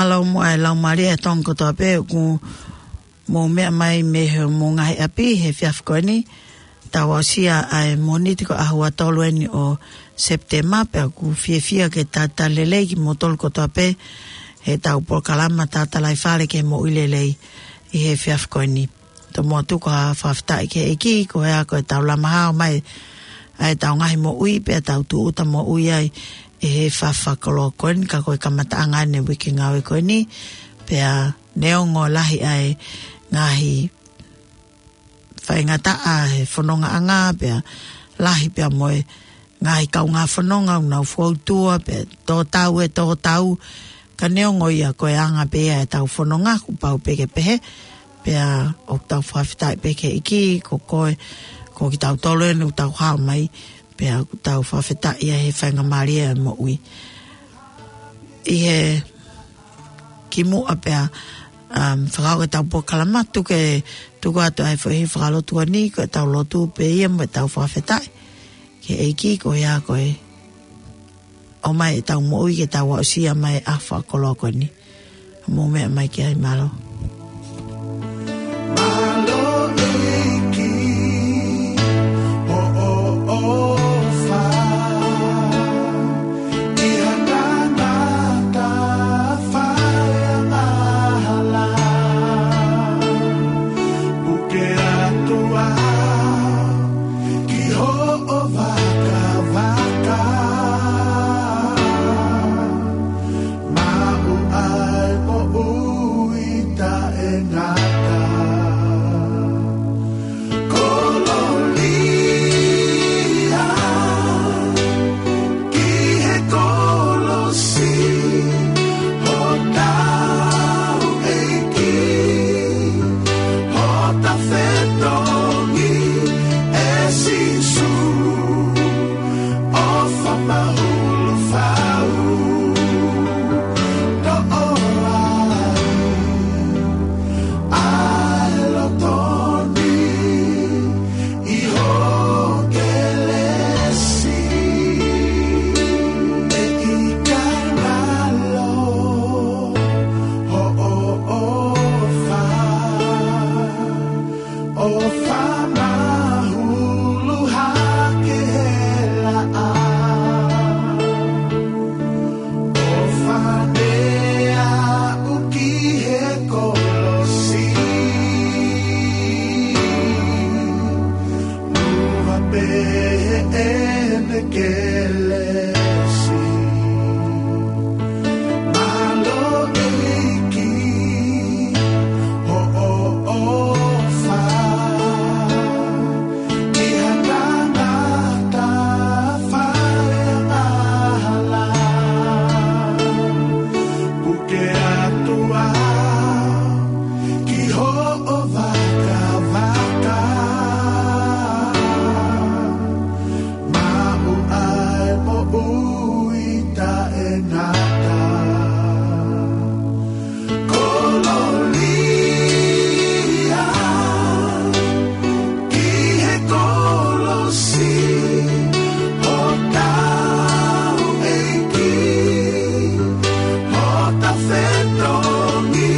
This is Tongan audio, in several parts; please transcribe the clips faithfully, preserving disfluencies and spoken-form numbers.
Mālō muʻa e laumālie ʻa e Tonga kotoa pē ʻoku mou meʻa mai mei homou ngaahi ʻapi he efiafi ko eni. Tau aʻusia ʻa e Mōnite ko e ʻaho ua tolu eni ʻo Sepitema, pea ʻoku fiefia ke talitali lelei kimoutolu kotoa pē heʻetau polokalama Talatalaifale ki he Moʻui Lelei ʻi he efiafi ko eni. Tomuʻa tuku ha fakafetaʻi ki he ʻEiki, ko e ʻaho ko ē ʻetau lama hao mai ʻa ʻetau ngaahi moʻui, pea tau tūʻuta moʻui ai ʻi he efiafi fakakoloa ko eni, ka ko e kamataʻanga eni e uike ngāue ko eni, pea neongo lahi ʻa e ngaahi faingataʻa he fonongaʻanga, pea lahi pea mo e ngaahi kaungā fononga ʻoku nau foutua, pea tō tau e tō tau, ka neongo ia ko e anga pē ia ʻetau fononga, kuo pau pē ke pehē, pea ʻoku tau fakafetaʻi pē ki he ʻEiki, ko koe, ko kitautolu eni ʻoku tau hao mai, pea ʻoku tau fakafetaʻi ʻi he faingamālie ʻa e moʻui. ʻI he kimuʻa pea, um, fakahoko ʻetau polokalama, tuku ke, tuku atu ʻa e foʻi fakalotu ko eni, ko ʻetau lotu pē ia mo ʻetau fakafetaʻi ki he ʻEiki, ko ia ko e ʻomai ʻetau moʻui ke tau aʻusia mai ʻa e fakakoloa ko eni. Mou meʻa mai ki ai, mālō. Mālō ʻEiki, hoʻo ʻofa ʻi he tangata fai angahala. Puke atu au ki hoʻo vakavaka. Maʻu ai moʻui taʻengata. Kolōlia ki he kolosi, hotau ʻEiki, hota fetongi ʻe Sīsū. ʻOfa mahulu fau, toʻo ai ʻa e loto ni ʻi ho kelesi. ʻE ʻikai ngalo hoʻo ʻofa, ʻofa mahulu hake he laʻā. ʻOfa ne aʻu ki he kolosi. Muʻa pē heʻene kelesi. Mālō ʻEiki, hoʻo ʻofa ʻi he tangata fai angahala. Puke atu au ki hoʻo vakavaka. Maʻu ai moʻui taʻengata. Kolōlia ki he kolosi, hotau ʻEiki, hota fetongi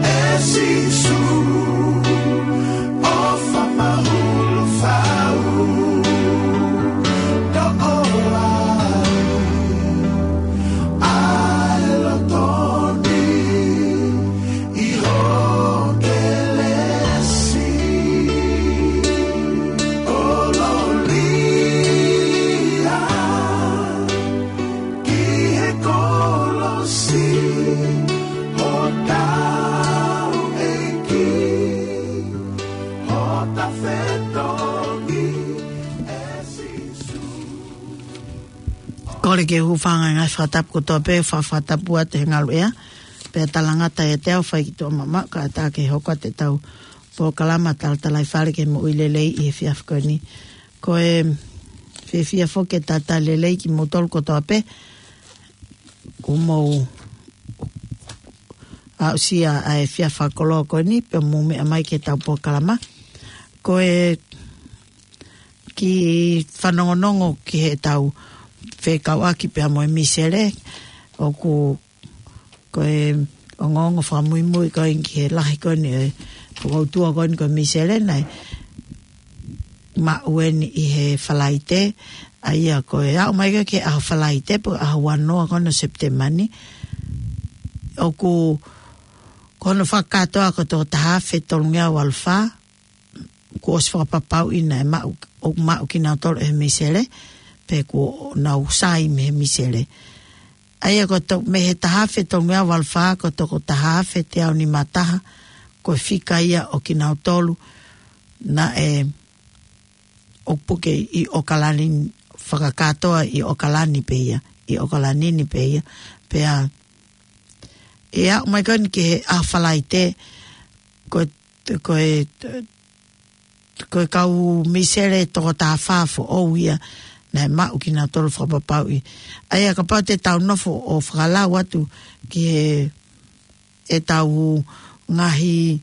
ʻe Sīsū. ʻOfa mahulu fau, toʻo ai ʻa e loto ni ʻi ho kelesi. Kolōlia ki he kolosi, hotau ʻEiki, hota fetongi ʻe Sīsū. Kole ke u hūfanga he ngaahi fakatapu kotoa pē, fa-, fakatapu atu he ngaluʻea, pea talangata ʻiate au fai ki tuʻa mamaʻo, kae ʻatā ke hoko atu ʻetau polokalama Talatalaifale ki he Moʻui Lelei ʻi he efiafi ko eni. Ko e fiefia foki ke talitali lelei kimoutolu kotoa pē, kuo mou aʻusia ʻa e efiafi fakakoloa ko eni, pea mou meʻa mai ki heʻetau polokalama. Ko e kiʻi fanongonongo ki heʻetau fekauʻaki pea mo e misele, ʻoku ko e ongoongo fakamuimui ko ē ki he lahi ko eni ʻo e fokoutua ko eni ko e misele naʻe maʻu eni ʻi he Falaite, ʻa ia ko e aʻu mai ko ē ki he ʻaho Falaite, pe ko e ʻaho uanoa ko eni ʻo Sepitema ni, ʻoku ko hono fakakātoa ko e toko taha afe tolungeau valu fā, kuo ʻosi fakapapauʻi naʻe maʻu, ʻoku maʻu kinautolu ʻe he misele, pe kuo nau sai mei he misele. ʻA ia ko e to-, mei he taha afe tolungeau valu fā, ko e toko taha afe teau nima taha, ko e fika ia ʻo kinautolu naʻe ʻoku puke ʻi ʻOkalani, fakakātoa ʻi ʻOkalani pē ia, ʻi ʻOkalani ni pē ia, pea ʻi he aʻu mai ko eni ki he ʻaho Falaite, ko e, ko e, ko e kau misele toko taha fā foʻou ia naʻe maʻu kinautolu fakapapauʻi. ʻA ia kapau te tau nofo ʻo fakalau atu ki he, ʻetau ngaahi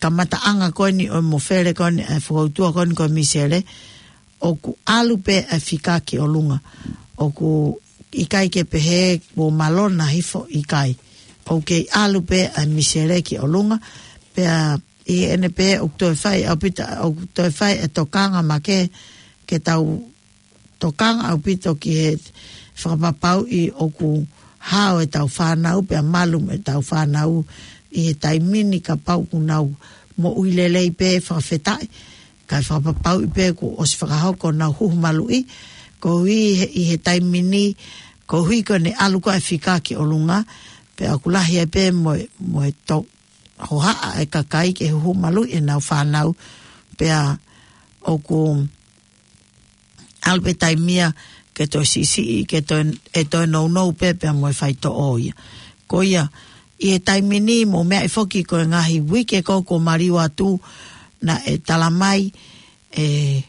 kamataʻanga ko eni ʻo e mofele ko eni ʻa e fokoutua ko eni ko e misele, ʻoku ʻalu pē ʻa e fika ki ʻolunga. ʻOku ʻikai ke pehē kuo mālō na hifo, ʻikai. ʻOku kei ʻalu pē ʻa e misele ki ʻolunga, pea ʻi heʻene pehē ʻoku toe fai ʻaupito, ʻoku toe fai e tokanga makehe ke tau tokanga ʻaupito ki he fakapapauʻi ʻoku hao ʻetau fānau pea malu ʻetau fānau ʻi he taimi ni, kapau ʻoku nau moʻui lelei pē, fakafetaʻi, kae fakapapauʻi pē kuo ʻosi fakahoko ʻenau huhu maluʻi. Koeʻuhi he, ʻi he taimi ni, koeʻuhi ko ʻene ʻalu ko ē ʻa e fika ki ʻolunga, pea ʻoku lahi ai pē mo e, mo e to-, hohaʻa e kakai ke huhu maluʻi ʻenau fānau, pea ʻoku ʻalu pē taimi ia ke toe siʻisiʻi, ke toe, ʻe toe nounou pē pea mo e faitoʻo ia. Ko ia, ʻi he taimi ni mou meaʻi foki ko e ngaahi uike ko ē kuo maliu atu naʻe tala mai ʻe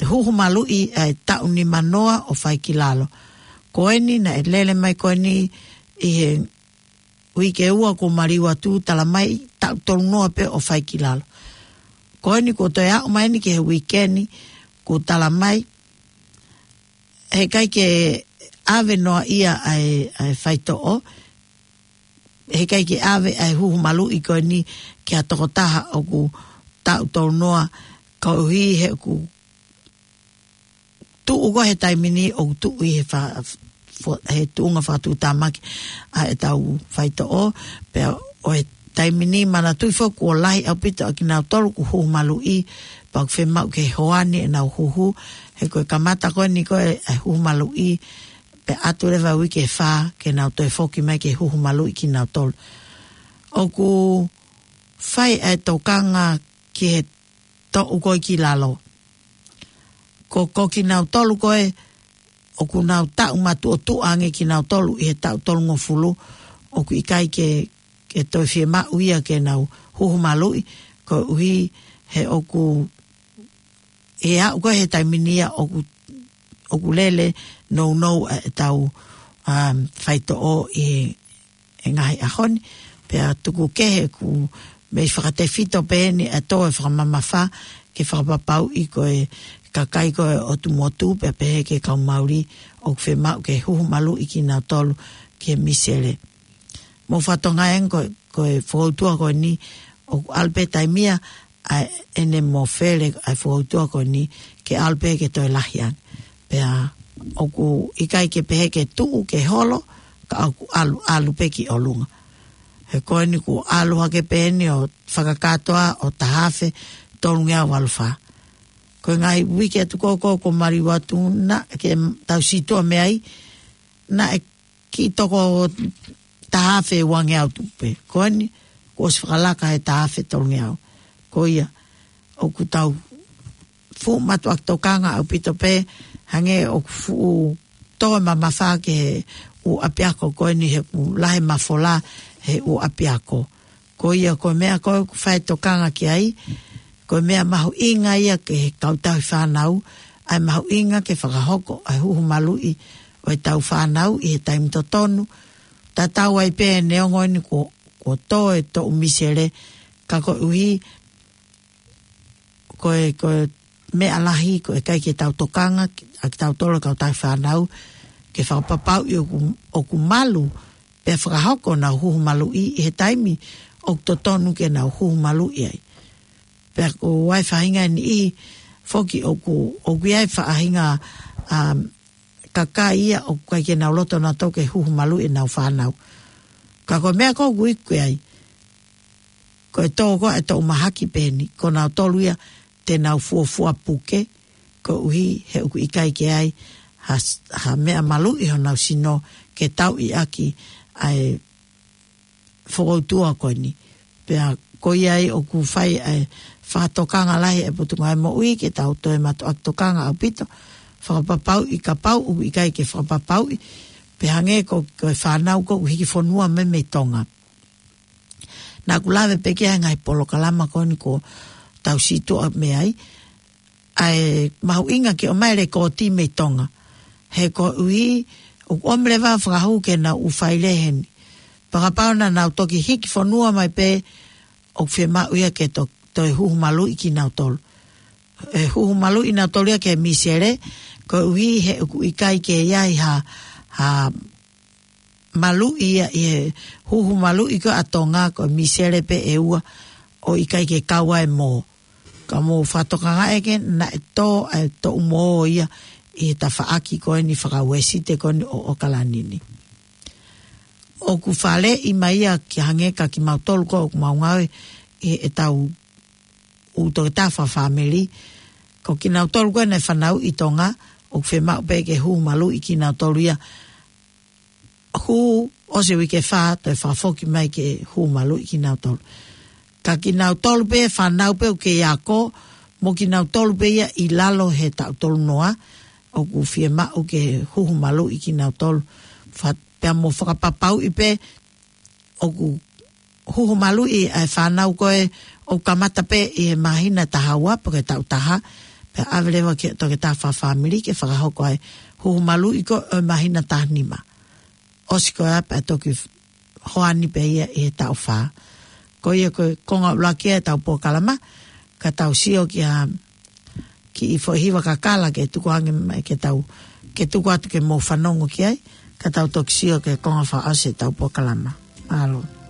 huhu maluʻi ʻa e taʻu nimanoa ʻo fai ki lalo. Ko eni naʻe lele mai ko eni ʻi he uike ua kuo maliu atu, tala mai taʻu tolunoa pē ʻo fai ki lalo. Ko eni kuo toe aʻu mai eni ki he uike ni, kuo tala mai heʻikai ke ʻave noa ia ʻa e, ʻa e faitoʻo, heʻikai ke ʻave ʻa e huhu maluʻi ko eni ki ha tokotaha ʻoku taʻu tolunoa, koeʻuhi he ʻoku tuʻu ko ē he taimi ni ʻoku tuʻu ʻi he fa-, fo-, he tuʻunga fakatuʻutāmaki ʻa ʻetau faitoʻo, pea ʻo e taimi ni manatuʻi foki kuo lahi ʻaupito ʻa kinautolu kuo huhu maluʻi, pea ʻoku fiemaʻu ke hoani ʻenau huhu, he ko e kamata ko eni ko ē ʻa e huhu maluʻi, pea ʻatu leva uike ʻe fā ke nau toe foki mai ke huhu maluʻi kinautolu. ʻOku fai ʻa e tokanga ki he toʻu ko ē ki lalo. Ko, ko kinautolu ko ē ʻoku nau taʻu matuʻotuʻa ange kinautolu ʻi he taʻu tolungofulu, ʻoku ʻikai ke, ke toe fiemaʻu ia ke nau huhu maluʻi, koeʻuhi he ʻoku, ʻe aʻu ko ē he taimi ni ia ʻoku, ʻoku lele nounou ʻa ʻetau, um, faitoʻo ʻi he, he ngaahi ʻaho ni, pea tuku kehe ʻoku mei fakatefito pē eni ʻa e tō e fakamamafa ke fakapapauʻi ko e kakai ko ē ʻo e motu, pea pehē ki he kau Mauli ʻoku fiemaʻu ke huhu maluʻi kinautolu ki he misele. Mou fakatokangaʻi ange ko, ko e fokoutua ko eni ʻoku ʻalu pē taimi ia ʻa ʻene mofele ʻa e fokoutua ko eni ke ʻalu pē ke toe lahi ange. Pea ʻoku ʻikai ke pehē ke tuʻu ke holo, ka ʻoku ʻalu, ʻalu pē ki ʻolunga. He ko eni kuo ʻalu hake pē eni ʻo fakakātoa ʻo taha afe tolungeau valu fā. Ko e ngaahi uike atu ko ē kuo maliu atu naʻe tau sītuʻa mei ai, naʻe kiʻi toko taha afe uangeau tupu pē. Ko eni kuo ʻosi fakalaka he taha afe tolungeau. Ko ia, ʻoku tau fuʻu mātuʻaki tokanga ʻaupito pē, hangē ʻoku fuʻu tō e mamafa ki he ʻū ʻapiako ko eni he ʻoku lahi e mafola he ʻū ʻapiako. Ko ia ko e meʻa ko ē ʻoku fai e tokanga ki ai, ko e meʻa mahuʻinga ia ki he kau tauhi fānau, ʻa e mahuʻinga ke fakahoko ʻa e huhu maluʻi ʻo ʻetau fānau ʻi he taimi totonu, tatau ai pē neongo eni kuo, kuo tō e toʻu misele, ka koeʻuhi ko e, ko e meʻa lahi, ko e ʻikai ke tau tokanga ʻa kitautolu kau tauhi fānau ke fakapapauʻi ʻoku, ʻoku malu pea fakahoko honau huhu maluʻi ʻi he taimi ʻoku totonu ke nau huhu maluʻi ai. Pea ko e faʻahinga ʻe niʻihi foki ʻoku, ʻoku ʻi ai faʻahinga, um, kakai ia ʻoku ʻikai ke nau loto nautolu ke huhu maluʻi ʻenau fānau. Ka ko e meʻa ko ē ʻoku iku ai, ko e tō ko ē ʻa e toʻu mahaki pehē ni, ko nautolu ia te nau fuofua puke, koeʻuhi he ʻoku ʻikai ke ʻi ai ha, ha meʻa maluʻi honau sino ke tauʻi ʻaki ʻa e fokoutua ko eni. Pea ko ia ai ʻoku fai ʻa e fakatokanga lahi ʻa e Potungāue Moʻui ke tau toe mātuʻaki tokanga ʻaupito, fakapapauʻi kapau ʻoku ʻikai ke fakapapauʻi, pea hangē ko, ko e fānau ko ē ʻoku hiki fonua mai mei Tonga. Naʻá ku lave pē ki he ngaahi polokalama ko eni kuo tau sītuʻa mei ai, ʻa e mahuʻinga ke ʻomai e lekooti mei Tonga. He koeʻuhi ʻoku ʻomi leva fakahū ke nau ʻū failē heni. Pea kapau naʻa nau toki hiki fonua mai pē, ʻoku fiemaʻu ia ke to, toe huhu maluʻi kinautolu. ʻE huhu maluʻi nautolu ia ki he misele, koeʻuhi he ʻoku ʻikai ke ʻi ai ha, ha maluʻi ia ʻi he huhu maluʻi ko ē ʻa Tonga, ko e misele pē ʻe ua ʻoku ʻikai ke kau ai e mō. Ka mou fakatokangaʻi ʻe ke naʻe tō ʻa e toʻu mō ia ʻi he tafaʻaki ko eni faka-Uēsite ko eni ʻo ʻAokalani ni. ʻOku faleʻi mai ia ke hangē ka kimautolu ko ē ʻoku mau ngāue ʻi heʻetau ʻū toketā fakafāmili. Ko kinautolu ko ē naʻe fanauʻi ʻi Tonga, ʻoku fiemaʻu pē ke huhu maluʻi kinautolu ia. Hū, ʻosi e uike ʻe fā, toe fakafoki mai ke huhu maluʻi kinautolu. Ka kinautolu pē, fānau pē ʻoku kei ako, mo kinautolu pē ia ʻi lalo he taʻu tolu noa, ʻoku fiemaʻu ke huhu maluʻi kinautolu. Fa-, pea mo fakapapauʻi pē, ʻoku huhu maluʻi ʻa e fānau ko ē ʻoku kamata pē ʻi he māhina taha ua pe ko e taʻu taha, pea ʻave leva ki he toketā fakafāmili ke fakahoko ʻa e huhu maluʻi ko ē ʻo e māhina taha nima. ʻOsi ko ia pea toki hoani pē ia ʻi he taʻu fā. Ko ia ko e konga ʻuluaki ia ʻetau polokalama, ka tau sio ki ha kiʻi foʻi hiva kakala ke tuku ange mai ke tau, ke tuku atu ke mou fanongo ki ai, ka tau toki sio ki he konga fakaʻosi ʻetau polokalama. Mālō.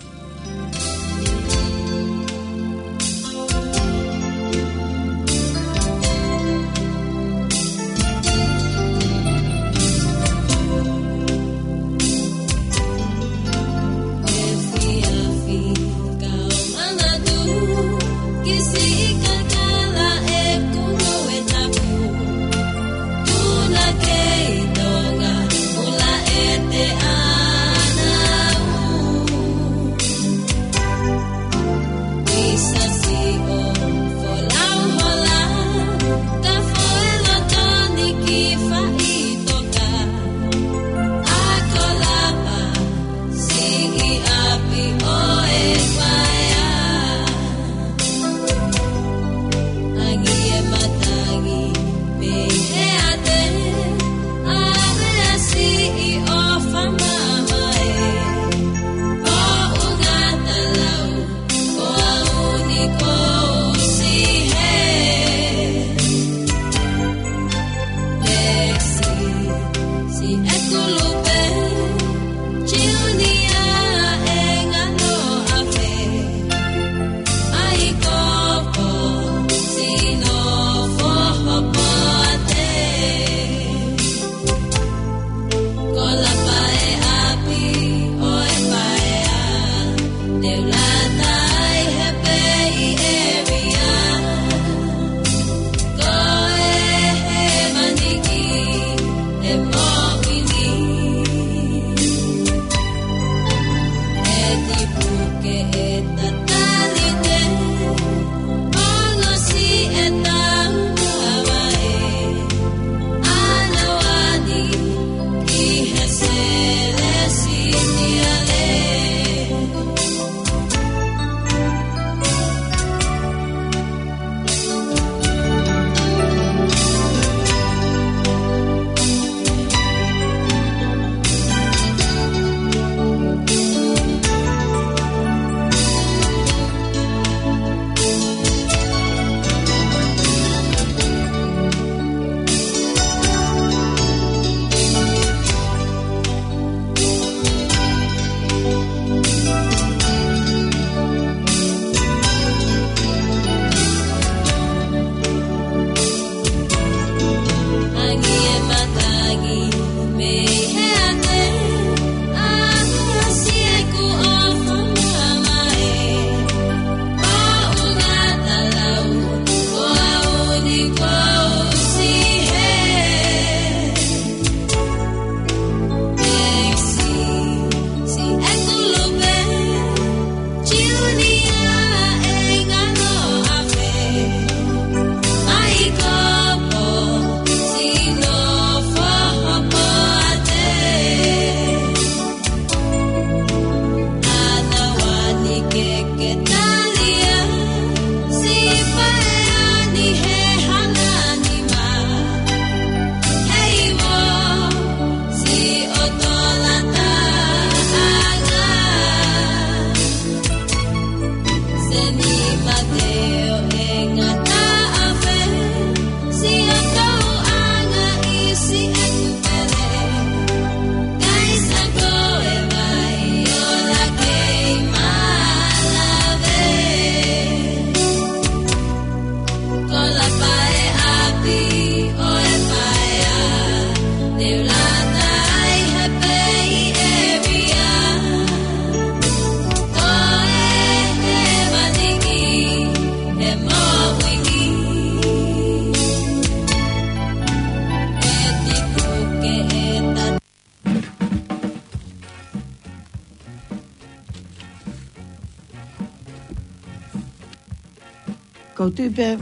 Ko u tui pē,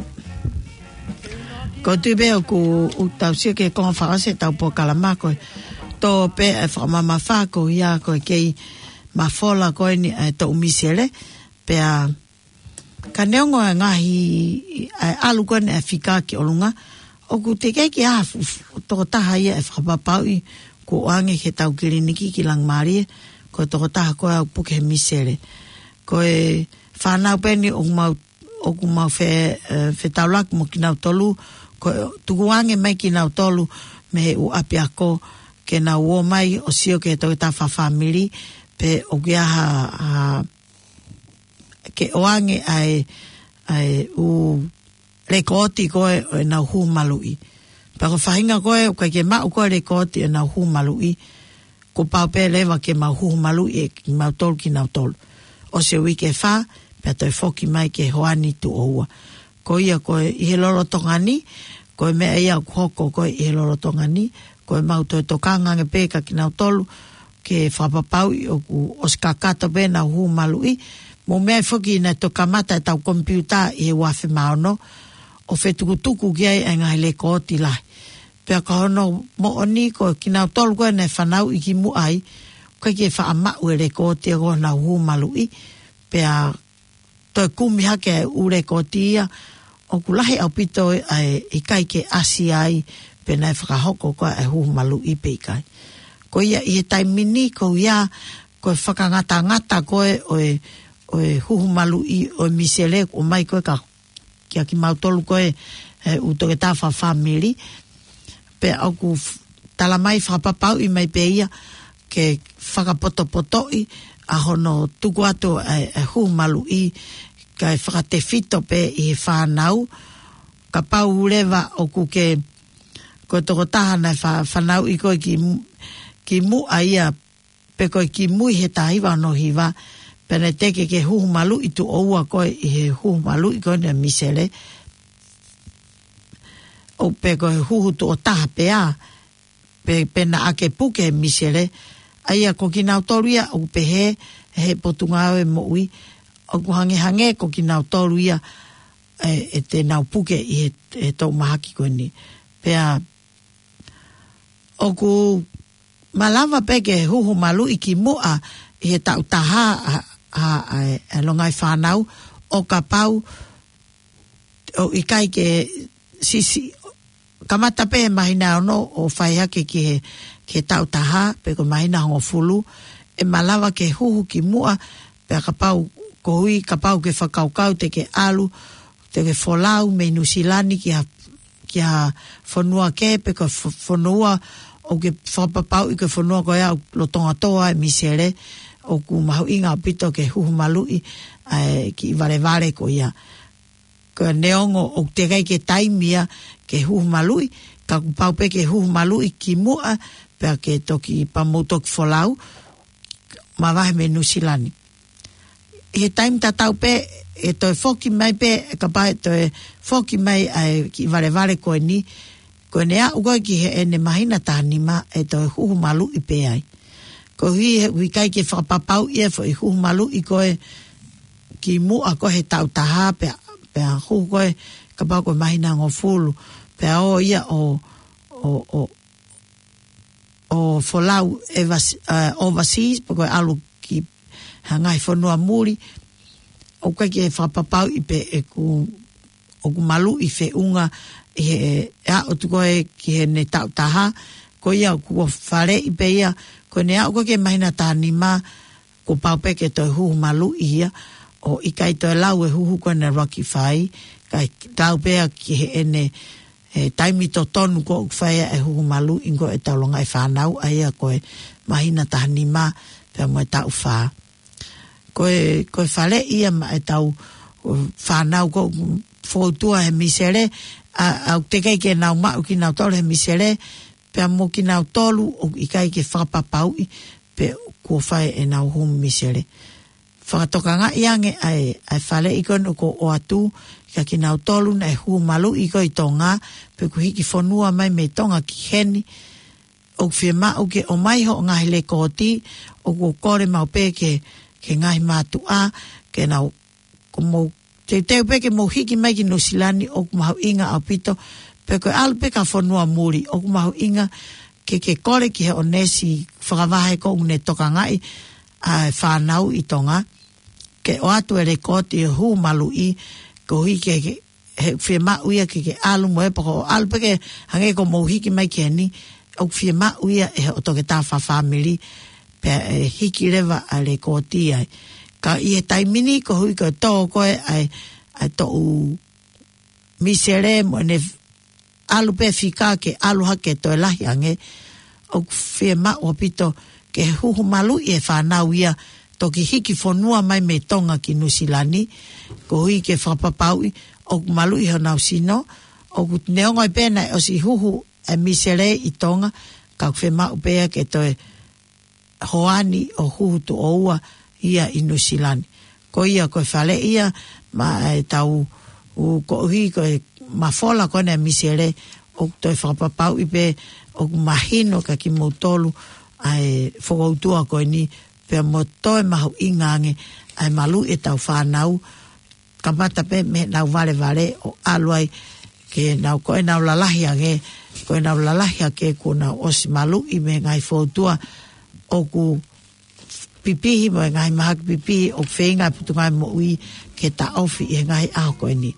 ko u tui pē ʻoku, ʻoku tau sio ki he konga fakaʻosi ʻetau polokalama ko e tō pē e fakamamafa ko ia ko e kei mafola ko eni e toʻu misele, pea ka neongo e ngaahi, e ʻalu ko eni e fika ki ʻolunga, ʻoku teʻeki ke ʻi ai ha fu-, fu-, tokotaha ia ʻe fakapapauʻi kuo ʻoange ki heʻetau kiliniki ki Langimalie, ko e tokotaha ko ē ʻoku puke he misele. Ko e fānau pē eni ʻoku mau, ʻoku mau fe-, e, fetaulaki mo kinautolu, ko e tukuange mai kinautolu mei he ʻū ʻapiako ke nau ō mai ʻo sio ki he tokotaha fakafāmili, pe ʻoku ʻi ai ha, ha, ke ʻoange ʻa e, ʻa e ʻū lekooti ko ē ʻo ʻenau huhu maluʻi. Pea ko e faʻahinga ko ē ʻoku ʻikai ke maʻu ko ē lekooti ʻenau huhu maluʻi, kuo pau pē leva ke mau huhu maluʻi ʻe kimautolu kinautolu. ʻOsi e uike ʻe fā, pea toe foki mai ki he houa ni tuʻo ua. Ko ia ko ē ʻi he lolotonga ni, ko e meʻa ia ʻoku hoko ko ē ʻi he lolotonga ni, ko e mau toe tokanga ange pē kia kinautolu, ke fakapapauʻi ʻoku ʻosi kakato pē ʻenau huhu maluʻi, mo e meʻa foki naʻe toki kamata ʻetau komipiuta ʻi he ua afe mā ono, ʻo fetukutuku ki ai e ngaahi lekooti lahi. Pea ko hono moʻoni ko kinautolu ko ē naʻe fanauʻi kimuʻa ai, ʻoku ʻikai ke faʻa maʻu e lekooti ia ko ē ʻenau huhu maluʻi, pea toe kumi hake e ʻū lekooti ia, ʻoku lahi ʻaupito ʻa e ʻikai ke ʻasi ai pe naʻe fakahoko ko ē e huhu maluʻi pe ʻikai. Ko ia ʻi he taimi ni ko ia, ko e fakangatangata ko ē ʻo e, ʻo e huhu maluʻi ʻo e misele ʻoku ʻomai ko ē kia, kia kimautolu ko ē he ʻū tokotaha fakafāmili, pea ʻoku f-, tala mai fakapapauʻi mai pē ia ke fakapotopotoʻi ʻa hono tuku atu e, e huhu maluʻi kae fakatefito pē ʻi he fānau, kapau leva ʻoku ke, ko e tokotaha naʻe fa-, fanauʻi ko ē ki mu-, kimuʻa ia pe ko e kimui he taha hiva ono hiva, pea naʻe teʻeki ke huhu maluʻi tuʻo ua ko ē ʻi he huhu maluʻi ko eni e misele, ʻo pe ko e huhu tuʻo taha pea, pe, pe naʻa ke puke e misele, ʻa ia ko kinautolu ia ʻoku pehē he Potungāue Moʻui, ʻoku hangehangē ko kinautolu ia e, ʻe te nau puke ʻi he, he toʻu mahaki ko eni. Pea ʻoku malava pē ke huhu maluʻi kimuʻa ʻi he taʻu taha ʻa, ʻa, ʻa e, e longaʻi fānau ʻo kapau ʻoku ʻikai ke sisi, kamata pē he māhina ono ʻo fai hake ki he, ki he taʻu taha, pe ko e māhina hongofulu, ʻe malava ke huhu kimuʻa, pea kapau, koeʻuhi kapau ke fakakaukau te ke ʻalu, te ke folau mei Nuʻusila ni ki ha, ki ha fonua kehe pe ko e fo-, fonua ʻoku ke fakapapauʻi ko e fonua ko ia ʻoku lolotonga tō ai e misele, ʻoku mahuʻinga ʻaupito ke huhu maluʻi ʻa e kiʻi valevale ko ia. Ka neongo ʻoku teʻeki ai ke taimi ia ke huhu maluʻi, ka kuo pau pē ke huhu maluʻi kimuʻa, pea ke toki pea mou toki folau, mavahe mei Nuʻusila ni. ʻI he taimi tatau pē, ʻe toe foki mai pē, kapau ʻe toe foki mai ʻa e kiʻi valevale ko eni, ko ʻene aʻu ko ē ki heʻene māhina taha nima ʻe toe huhu maluʻi pē ai. Koeʻuhi he ʻoku ʻikai ke fakapapauʻi e foʻi huhu maluʻi ko ē kimuʻa ko ē he taʻu taha pea, pea huhu ko ē kapau ko e māhina hongofulu, pea ō ia ʻo, ʻo, ʻo, ʻo folau e vasi-, ē, overseas, pe ko e ʻalu ki ha ngaahi fonua muli, ʻoku ʻikai ke fakapapauʻi pe ʻoku, ʻoku maluʻi feʻunga ʻi he, ʻe aʻu atu ko ē ki heʻene taʻu taha, ko ia kuo faleʻi pē ia, ko ʻene aʻu ko ē ki he māhina taha nima, kuo pau pē ke toe huhu maluʻi ia, ʻo ʻikai toe lau e huhu ko ē naʻe ʻuluaki fai, kae lau pē ia ki heʻene, e, taimi totonu ko ē ʻoku fai ai e huhu maluʻi ko ē ʻetau longaʻi fānau, ʻa ia ko e māhina taha nima pea mo e taʻu fā. Ko e, ko e faleʻi ia maʻa ʻetau, o, fānau ko ē ʻoku foutua he misele, ʻa, ʻa, ʻoku teʻeki ai ke nau maʻu kinautolu he misele, pea mo kinautolu ʻoku ʻikai ke fakapapauʻi pe kuo fai ʻenau huhu misele. Fakatokangaʻi ange ʻa e, ʻa e faleʻi ko eni ʻoku ʻoatu kia kinautolu naʻe huhu maluʻi ko ē ʻi Tonga, pe ʻoku hiki fonua mai mei Tonga ki heni, ʻoku fiemaʻu ke ʻomai hoʻo ngaahi lekooti, ʻoku kole maʻu pē ke, ke ngaahi mātuʻa, ke nau, ko mou teuteu pē ke mou hiki mai ki Nuʻusila ni ʻoku mahuʻinga ʻaupito, pe ko e ʻalu pē ki ha fonua muli, ʻoku mahuʻinga ke ke kole ki he ʻōnesi fakavahe ko ʻoku ne tokangaʻi ʻa e fānau ʻi Tonga, ke ʻoatu e lekooti ʻo e huhu maluʻi, koeʻuhi ke, ke, he fiemaʻu ia ke ke ʻalu mo e poko, ʻalu pē ke hangē ko mou hiki mai ki heni, ʻoku fiemaʻu ia ʻe hoʻo toketā fakafāmili, pea ʻe hiki leva ʻa e lekooti ai. Ka ʻi he taimi ni koeʻuhi ko e tō ko ē ʻa e, ʻa e toʻu misele mo ʻene ʻalu pē fika ke ʻalu hake toe lahi ange, ʻoku fiemaʻu ʻaupito ke huhu maluʻi e fānau ia, toki hiki fonua mai mei Tonga ki Nuʻusila ni, koeʻuhi ke fakapapauʻi ʻoku maluʻi honau sino, ʻoku neongo ai pē naʻe ʻosi huhu e misele ʻi Tonga, ka ʻoku fiemaʻu pē ia ke toe hoani ʻo huhu tuʻo ua ia ʻi Nuʻusila ni. Ko ia ko e faleʻi ia maʻa e tau ʻū koeʻuhi ko e mafola ko ena e misele, ʻoku toe fakapapauʻi pē ʻoku mahino kia kimoutolu ʻa e fokoutua ko eni, pea mo toe mahuʻinga ange ʻa e maluʻi e tau fānau, kamata pē mei heʻenau valevale ʻo ʻalu ai ke nau, ko ʻenau lalahi ange, ko ʻenau lalahi ange kuo nau ʻosi maluʻi mei he ngaahi foutua ʻoku pipihi mo e ngaahi mahaki pipihi ʻoku feinga e Potungāue Moʻui ke taʻofi ʻi he ngaahi ʻaho ko eni.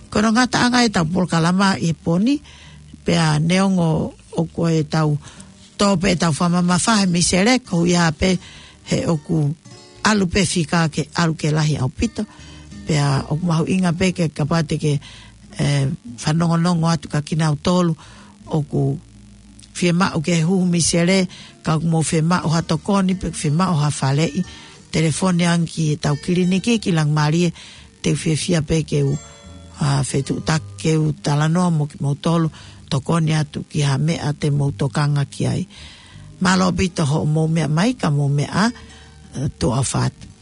Ko hono ngataʻanga e tau polokalama ʻi he pō ni, pea neongo ʻoku ʻi ai e tau tō pē e tau fakamamafa he misele, koeʻuhi pē he ʻoku ʻalu pē fika ke ʻalu ke lahi ʻaupito. Pea ʻoku mahuʻinga pē ke kapau te ke, ē, fanongonongo atu kia kinautolu ʻoku fiemaʻu ke huhu misele, ka ʻoku mou fiemaʻu ha tokoni pe fiemaʻu ha faleʻi, telefoni ange ki he tau kiliniki ki Langimalie, te u fiefia pē ke u, ā, fetuʻutaki ke u talanoa mo kimoutolu, tokoni atu ki ha meʻa te mou tokanga ki ai. Mālō ʻaupito hoʻomou meʻa mai, ka mou meʻa, ē, tuʻa ʻofa atu.